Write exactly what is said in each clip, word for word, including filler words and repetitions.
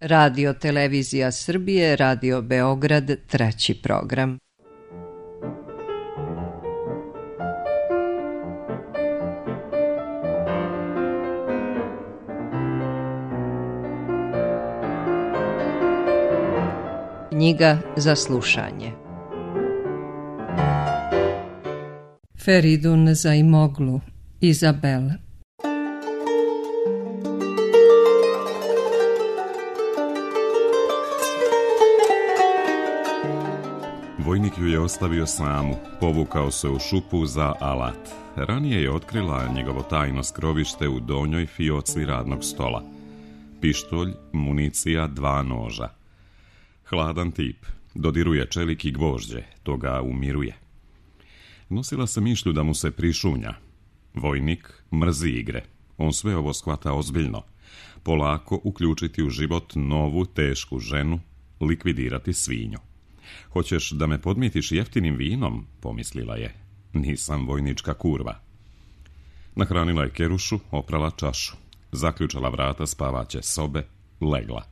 Radio Televizija Srbije, Radio Beograd, treći program. Knjiga za slušanje. Feridun Zaimoglu, Izabel. Vojnik ju je ostavio samu, povukao se u šupu za alat. Ranije je otkrila njegovo tajno skrovište u donjoj fioci radnog stola. Pištolj, municija, dva noža. Hladan tip, dodiruje čelik i gvožđe, to ga umiruje. Nosila se mišlju da mu se prišunja. Vojnik mrzi igre, on sve ovo shvata ozbiljno. Polako uključiti u život novu, tešku ženu, likvidirati svinju. Hoćeš da me podmitiš jeftinim vinom, pomislila je. Nisam vojnička kurva. Nahranila je kerušu, oprala čašu, zaključala vrata spavaće sobe, legla.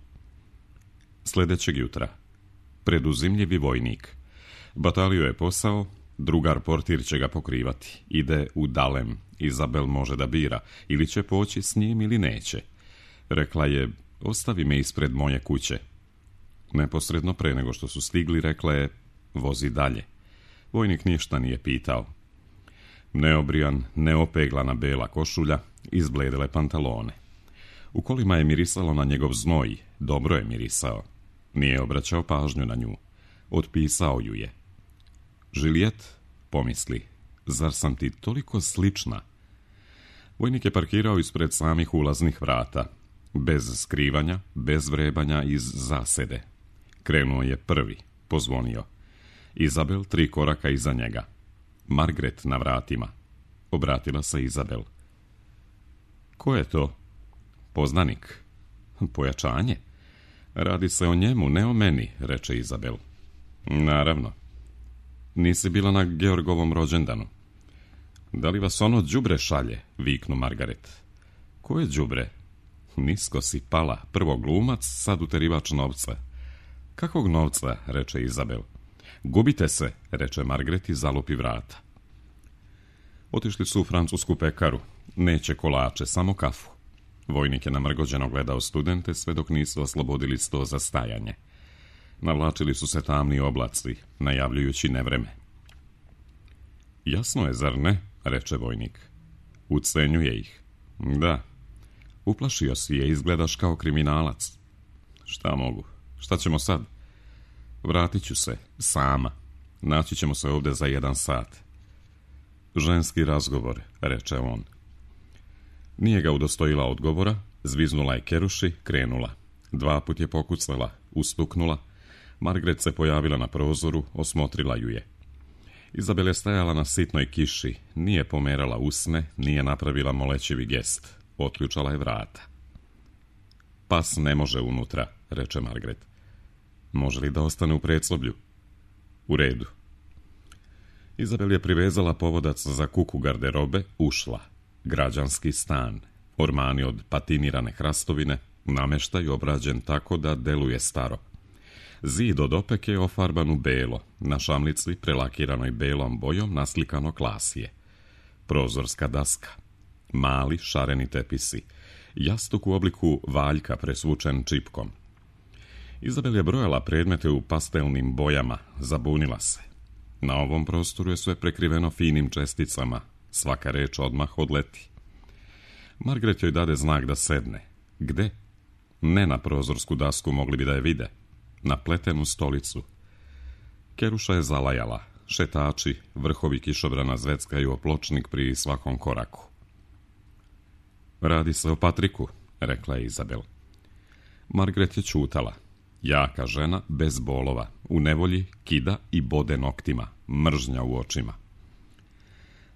Sljedećeg jutra. Preduzimljivi vojnik. Batalio je posao, drugar portir će ga pokrivati. Ide u Dalem. Izabel može da bira, ili će poći s njim ili neće. Rekla je, ostavi me ispred moje kuće. Neposredno pre nego što su stigli, rekla je, vozi dalje. Vojnik ništa nije pitao. Neobrijan, neopeglana bela košulja, izbledele pantalone. U kolima je mirisalo na njegov znoj, dobro je mirisao. Nije obraćao pažnju na nju. Otpisao ju je. Žilijet, pomisli, zar sam ti toliko slična? Vojnik je parkirao ispred samih ulaznih vrata. Bez skrivanja, bez vrebanja, iz zasede. Krenuo je prvi, pozvonio. Izabel tri koraka iza njega. Margaret na vratima. Obratila se Izabel. Ko je to? Poznanik. Pojačanje. Radi se o njemu, ne o meni, reče Izabel. Naravno. Nisi bila na Georgovom rođendanu. Da li vas ono đubre šalje, viknu Margaret. Ko je đubre? Nisko si pala, prvo glumac, sad uterivač novca. Kakvog novca, reče Izabel. Gubite se, reče Margaret i zalupi vrata. Otišli su u francusku pekaru. Neće kolače, samo kafu. Vojnik je namrgođeno gledao studente sve dok nisu oslobodili sto za stajanje. Navlačili su se tamni oblaci, najavljujući nevreme. Jasno je, zar ne, reče vojnik. Ucenjuje ih. Da. Uplašio si je, izgledaš kao kriminalac. Šta mogu? Šta ćemo sad? Vratit ću se, sama. Naći ćemo se ovdje za jedan sat. Ženski razgovor, reče on. Nije ga udostojila odgovora, zviznula je keruši, krenula. Dva put je pokucala, ustuknula. Margaret se pojavila na prozoru, osmotrila ju je. Izabel je stajala na sitnoj kiši, nije pomerala usne, nije napravila molećivi gest. Otključala je vrata. Pas ne može unutra, reče Margaret. Može li da ostane u predsoblju? U redu. Izabel je privezala povodac za kuku garderobe, ušla. Građanski stan. Ormani od patinirane hrastovine, nameštaj obrađen tako da deluje staro. Zid od opeke je ofarban u belo, na šamlici prelakiranoj belom bojom naslikano klasije. Prozorska daska. Mali šareni tepisi. Jastuk u obliku valjka presvučen čipkom. Izabel je brojala predmete u pastelnim bojama, zabunila se. Na ovom prostoru je sve prekriveno finim česticama, svaka reč odmah odleti. Margaret joj dade znak da sedne. Gde? Ne na prozorsku dasku, mogli bi da je vide. Na pletenu stolicu. Keruša je zalajala. Šetači, vrhovi kišobrana zveckaju o pločnik pri svakom koraku. Radi se o Patriku, rekla je Izabel. Margaret je čutala. Jaka žena, bez bolova, u nevolji, kida i bode noktima, mržnja u očima.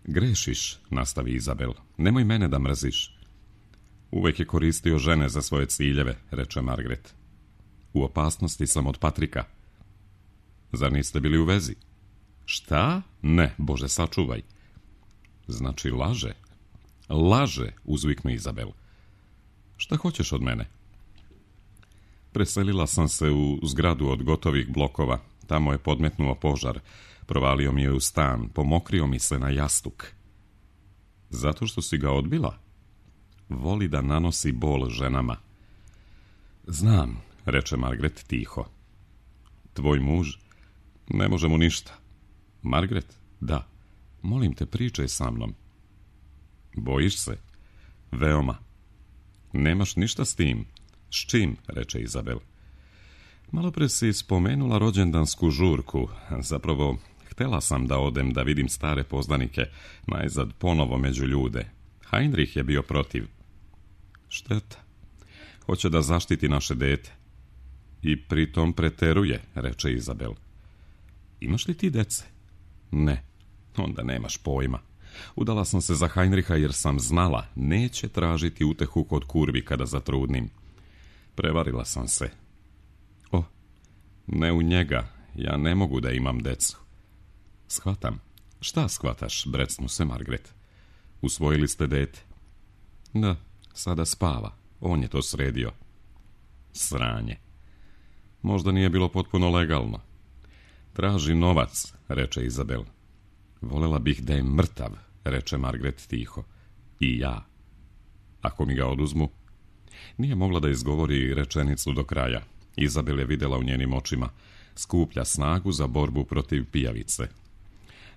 Grešiš, nastavi Izabel, nemoj mene da mrziš. Uvek je koristio žene za svoje ciljeve, reče Margaret. U opasnosti sam od Patrika. Zar niste bili u vezi? Šta? Ne, Bože, sačuvaj. Znači laže? Laže, uzviknu Izabel. Šta hoćeš od mene? Preselila sam se u zgradu od gotovih blokova. Tamo je podmetnuo požar. Provalio mi je u stan. Pomokrio mi se na jastuk. Zato što si ga odbila? Voli da nanosi bol ženama. Znam, reče Margaret tiho. Tvoj muž? Ne može mu ništa. Margaret? Da. Molim te, pričaj sa mnom. Bojiš se? Veoma. Nemaš ništa s tim? S čim? Reče Izabel. Malopre si spomenula rođendansku žurku. Zapravo, htela sam da odem da vidim stare poznanike, najzad ponovo među ljude. Heinrich je bio protiv. Šteta. Hoće da zaštiti naše dete. I pritom preteruje, reče Izabel. Imaš li ti dece? Ne. Onda nemaš pojma. Udala sam se za Heinricha jer sam znala, neće tražiti utehu kod kurvi kada zatrudnim. Prevarila sam se. O, ne u njega, ja ne mogu da imam decu. Shvatam. Šta shvataš, brecnu se Margaret. Usvojili ste dete? Da, sada spava. On je to sredio. Sranje. Možda nije bilo potpuno legalno. Traži novac, reče Izabel. Volela bih da je mrtav, reče Margaret tiho. I ja. Ako mi ga oduzmu? Nije mogla da izgovori rečenicu do kraja. Izabel je vidjela u njenim očima. Skuplja snagu za borbu protiv pijavice.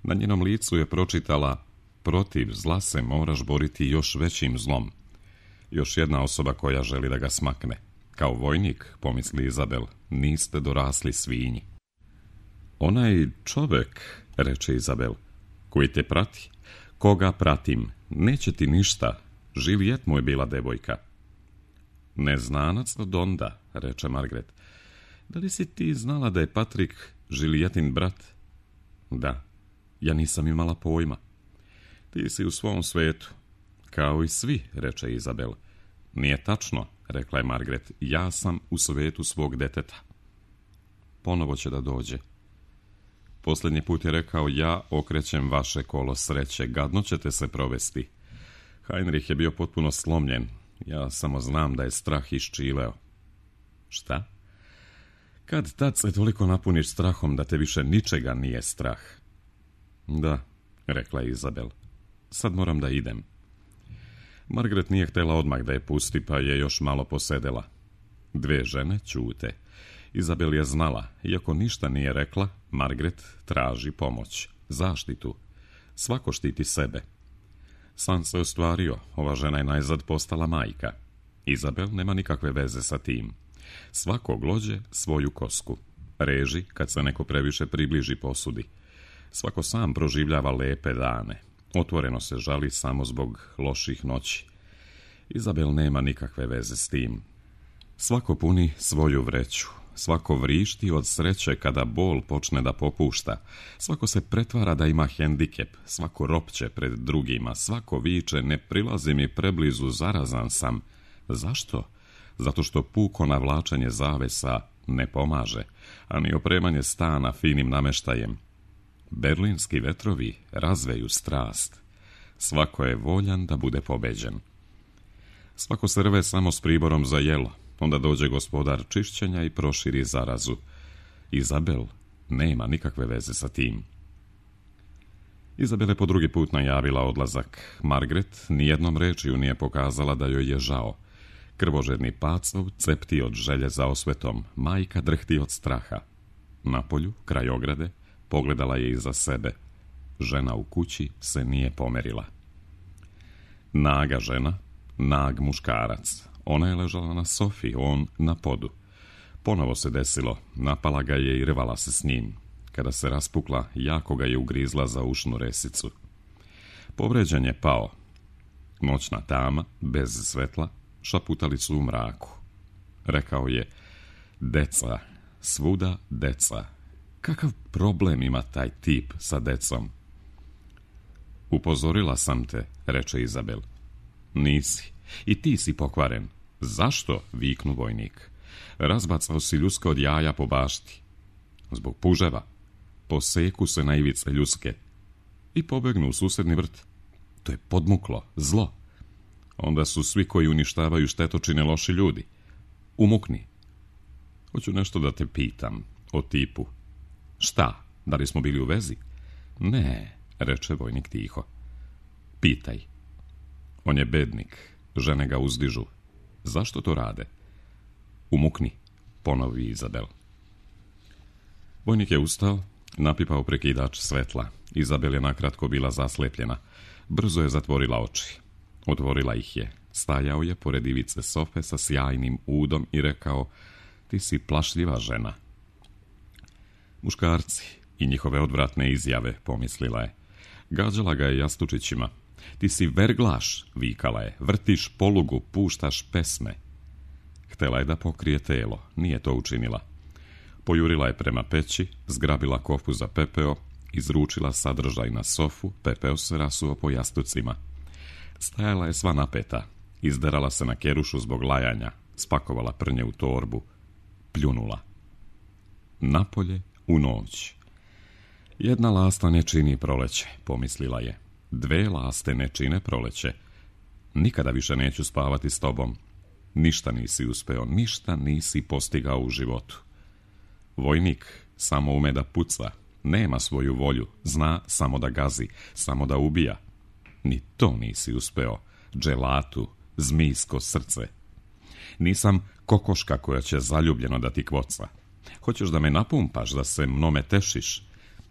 Na njenom licu je pročitala: protiv zla se moraš boriti još većim zlom. Još jedna osoba koja želi da ga smakne. Kao vojnik, pomisli Izabel, niste dorasli svinji. Onaj čovek, reče Izabel, koji te prati. Koga pratim? Neće ti ništa. Juliet mu je bila devojka. Neznanac od onda, reče Margaret. Da li si ti znala da je Patrick Julietin brat? Da. Ja nisam imala pojma. Ti si u svom svetu. Kao i svi, reče Izabel. Nije tačno, rekla je Margaret. Ja sam u svetu svog deteta. Ponovo će da dođe. Posljednji put je rekao: ja okrećem vaše kolo sreće, gadno ćete se provesti. Heinrich je bio potpuno slomljen. Ja samo znam da je strah iščileo. Šta? Kad tad se toliko napuniš strahom da te više ničega nije strah. Da, rekla je Izabel. Sad moram da idem. Margaret nije htjela odmah da je pusti, pa je još malo posedela. Dve žene ćute. Izabel je znala, iako ništa nije rekla, Margaret traži pomoć, zaštitu. Svako štiti sebe. San se ostvario, ova žena je najzad postala majka. Izabel nema nikakve veze sa tim. Svako glođe svoju kosku. Reži kad se neko previše približi posudi. Svako sam proživljava lepe dane. Otvoreno se žali samo zbog loših noći. Izabel nema nikakve veze s tim. Svako puni svoju vreću. Svako vrišti od sreće kada bol počne da popušta. Svako se pretvara da ima hendikep. Svako ropće pred drugima. Svako viče: ne prilazi mi preblizu, zarazan sam. Zašto? Zato što puko navlačenje zavesa ne pomaže, a ni opremanje stana finim nameštajem. Berlinski vetrovi razveju strast. Svako je voljan da bude pobeđen. Svako se rve samo s priborom za jelo. Onda dođe gospodar čišćenja i proširi zarazu. Izabel nema nikakve veze sa tim. Izabel je po drugi put najavila odlazak. Margaret nijednom rečju nije pokazala da joj je žao. Krvožedni pacov cepti od želje za osvetom. Majka drhti od straha. Napolju, kraj ograde, pogledala je iza sebe. Žena u kući se nije pomerila. Naga žena, nag muškarac. Ona je ležala na sofi, on na podu. Ponovo se desilo, napala ga je i rvala se s njim. Kada se raspukla, jako ga je ugrizla za ušnu resicu. Povređen je pao. Noćna tama, bez svetla, šaputali su u mraku. Rekao je: deca, svuda deca. Kakav problem ima taj tip sa decom? Upozorila sam te, reče Izabel. Nisi. I ti si pokvaren. Zašto? Viknu vojnik. Razbacao si ljuske od jaja po bašti. Zbog puževa. Poseku se na ivice ljuske. I pobegnu u susedni vrt. To je podmuklo, zlo. Onda su svi koji uništavaju štetočine loši ljudi. Umukni. Hoću nešto da te pitam, o tipu. Šta, da li smo bili u vezi? Ne, reče vojnik tiho. Pitaj. On je bednik, žene ga uzdižu. Zašto to rade? Umukni, ponovi Izabel. Vojnik je ustao, napipao prekidač svetla. Izabel je nakratko bila zaslepljena. Brzo je zatvorila oči. Otvorila ih je. Stajao je pored ivice sofe sa sjajnim udom i rekao: ti si plašljiva žena. Muškarci i njihove odvratne izjave, pomislila je. Gađala ga je jastučićima. Ti si verglaš, vikala je. Vrtiš polugu, puštaš pesme. Htela je da pokrije telo, nije to učinila. Pojurila je prema peći, zgrabila kofu za pepeo, izručila sadržaj na sofu, pepeo se rasuo po jastucima. Stajala je sva napeta, izderala se na kerušu zbog lajanja, spakovala prnje u torbu, pljunula. Napolje u noć. Jedna lasta ne čini proleće, pomislila je. Dve laste ne čine proleće. Nikada više neću spavati s tobom. Ništa nisi uspeo, ništa nisi postigao u životu. Vojnik samo ume da puca, nema svoju volju, zna samo da gazi, samo da ubija. Ni to nisi uspeo, dželatu, zmijsko srce. Nisam kokoška koja će zaljubljeno da ti kvoca. Hoćeš da me napumpaš, da se mnome tešiš.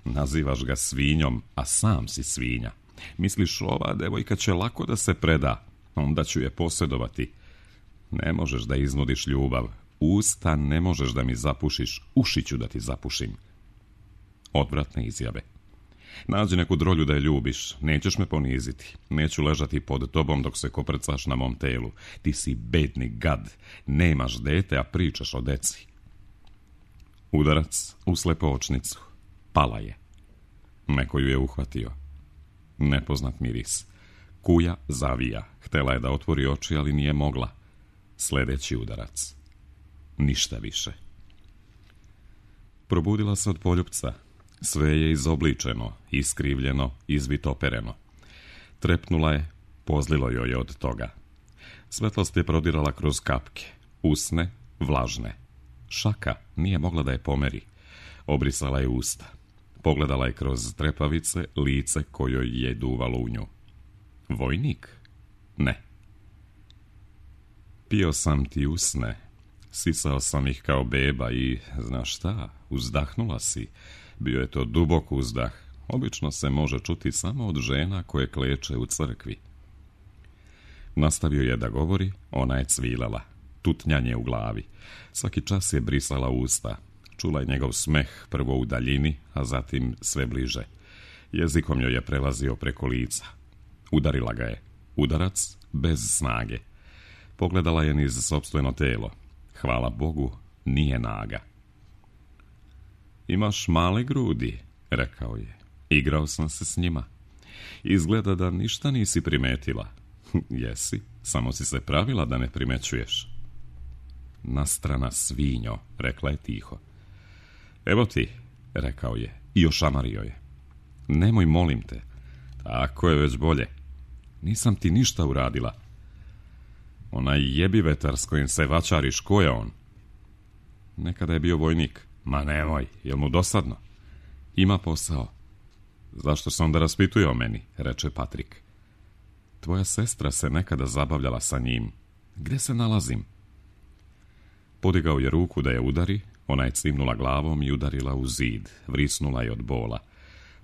Nazivaš ga svinjom, a sam si svinja. Misliš, ova devojka će lako da se preda, onda ću je posjedovati. Ne možeš da iznudiš ljubav, usta ne možeš da mi zapušiš, uši ću da ti zapušim. Odvratne izjave. Nađi neku drolju da je ljubiš, nećeš me poniziti, neću ležati pod tobom dok se koprcaš na mom telu. Ti si bedni gad, nemaš dete, a pričaš o deci. Udarac u slepočnicu. Pala je. Neko ju je uhvatio. Nepoznat miris. Kuja zavija. Htela je da otvori oči, ali nije mogla. Sljedeći udarac. Ništa više. Probudila se od poljupca. Sve je izobličeno, iskrivljeno, izvitopereno. Trepnula je, pozlilo joj je od toga. Svetlost je prodirala kroz kapke. Usne, vlažne. Šaka nije mogla da je pomeri. Obrisala je usta. Pogledala je kroz trepavice lice kojoj je duvalo u nju. Vojnik? Ne. Pio sam ti usne. Sisao sam ih kao beba i, znaš šta, uzdahnula si. Bio je to dubok uzdah. Obično se može čuti samo od žena koje kleče u crkvi. Nastavio je da govori, ona je cvilala. Tutnjanje u glavi. Svaki čas je brisala usta. Čula je njegov smeh, prvo u daljini, a zatim sve bliže. Jezikom joj je prelazio preko lica. Udarila ga je. Udarac bez snage. Pogledala je niz sopstveno telo. Hvala Bogu, nije naga. Imaš male grudi, rekao je. Igrao sam se s njima. Izgleda da ništa nisi primetila. Jesi, samo si se pravila da ne primećuješ. Nastrana svinjo, rekla je tiho. Evo ti, rekao je, i ošamario je. Nemoj, molim te. Tako je već bolje. Nisam ti ništa uradila. Onaj jebi vetar s kojim se vačariš, ko je on? Nekada je bio vojnik. Ma nemoj, jel mu dosadno? Ima posao. Zašto se onda raspituje o meni, reče Patrik. Tvoja sestra se nekada zabavljala sa njim. Gde se nalazim? Podigao je ruku da je udari, ona je cimnula glavom i udarila u zid, vrisnula je od bola.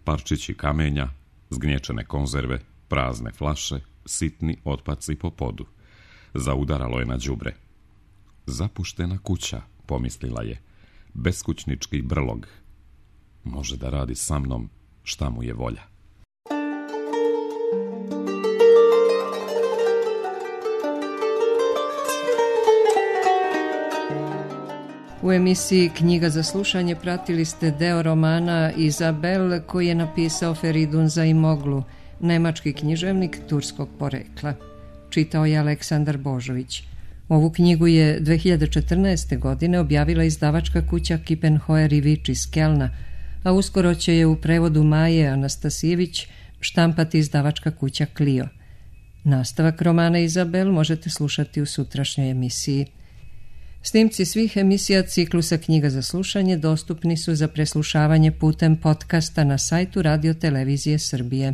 Parčići kamenja, zgnječene konzerve, prazne flaše, sitni otpaci po podu. Zaudaralo je na đubre. Zapuštena kuća, pomislila je. Beskućnički brlog. Može da radi sa mnom šta mu je volja. U emisiji Knjiga za slušanje pratili ste deo romana Izabel koji je napisao Feridun Zaimoglu, nemački književnik turskog porekla. Čitao je Aleksandar Božović. Ovu knjigu je dve hiljade četrnaeste. godine objavila izdavačka kuća Kippenhoer i Vič iz Kelna, a uskoro će je u prevodu Maje Anastasijević štampati izdavačka kuća Clio. Nastavak romana Izabel možete slušati u sutrašnjoj emisiji. Snimci svih emisija ciklusa Knjiga za slušanje dostupni su za preslušavanje putem podcasta na sajtu Radio Televizije Srbije.